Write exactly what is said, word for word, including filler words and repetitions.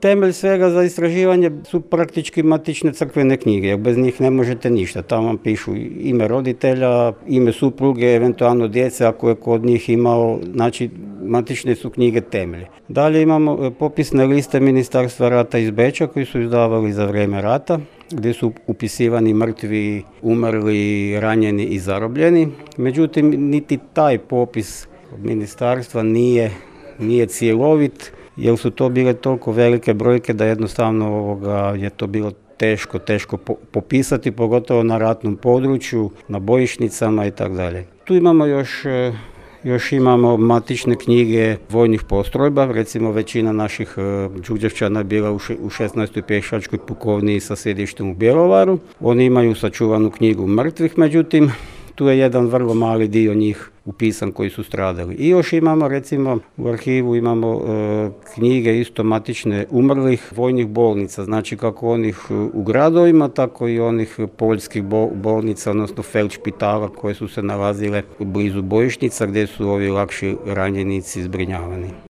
Temelj svega za istraživanje su praktički matične crkvene knjige, jer bez njih ne možete ništa. Tamo vam pišu ime roditelja, ime supruge, eventualno djece ako je kod njih imao, znači matične su knjige temelje. Dalje imamo popisne liste Ministarstva rata iz Beča koji su izdavali za vrijeme rata, gdje su upisivani mrtvi, umrli, ranjeni i zarobljeni. Međutim, niti taj popis ministarstva nije, nije cjelovit, jer su to bile toliko velike brojke da jednostavno ovoga, je to bilo teško, teško popisati, pogotovo na ratnom području, na bojišnicama i tako dalje. Tu imamo još, još imamo matične knjige vojnih postrojba, recimo većina naših Đurđevčana je bila u šesnaestoj pješačkoj pukovniji sa sjedištem u Bjelovaru. Oni imaju sačuvanu knjigu mrtvih, međutim, tu je jedan vrlo mali dio njih upisan koji su stradali. I još imamo, recimo, u arhivu imamo e, knjige isto matične umrlih vojnih bolnica, znači kako onih u gradovima, tako i onih poljskih bolnica, odnosno feldšpitala koje su se nalazile blizu bojišnica gdje su ovi lakši ranjenici zbrinjavani.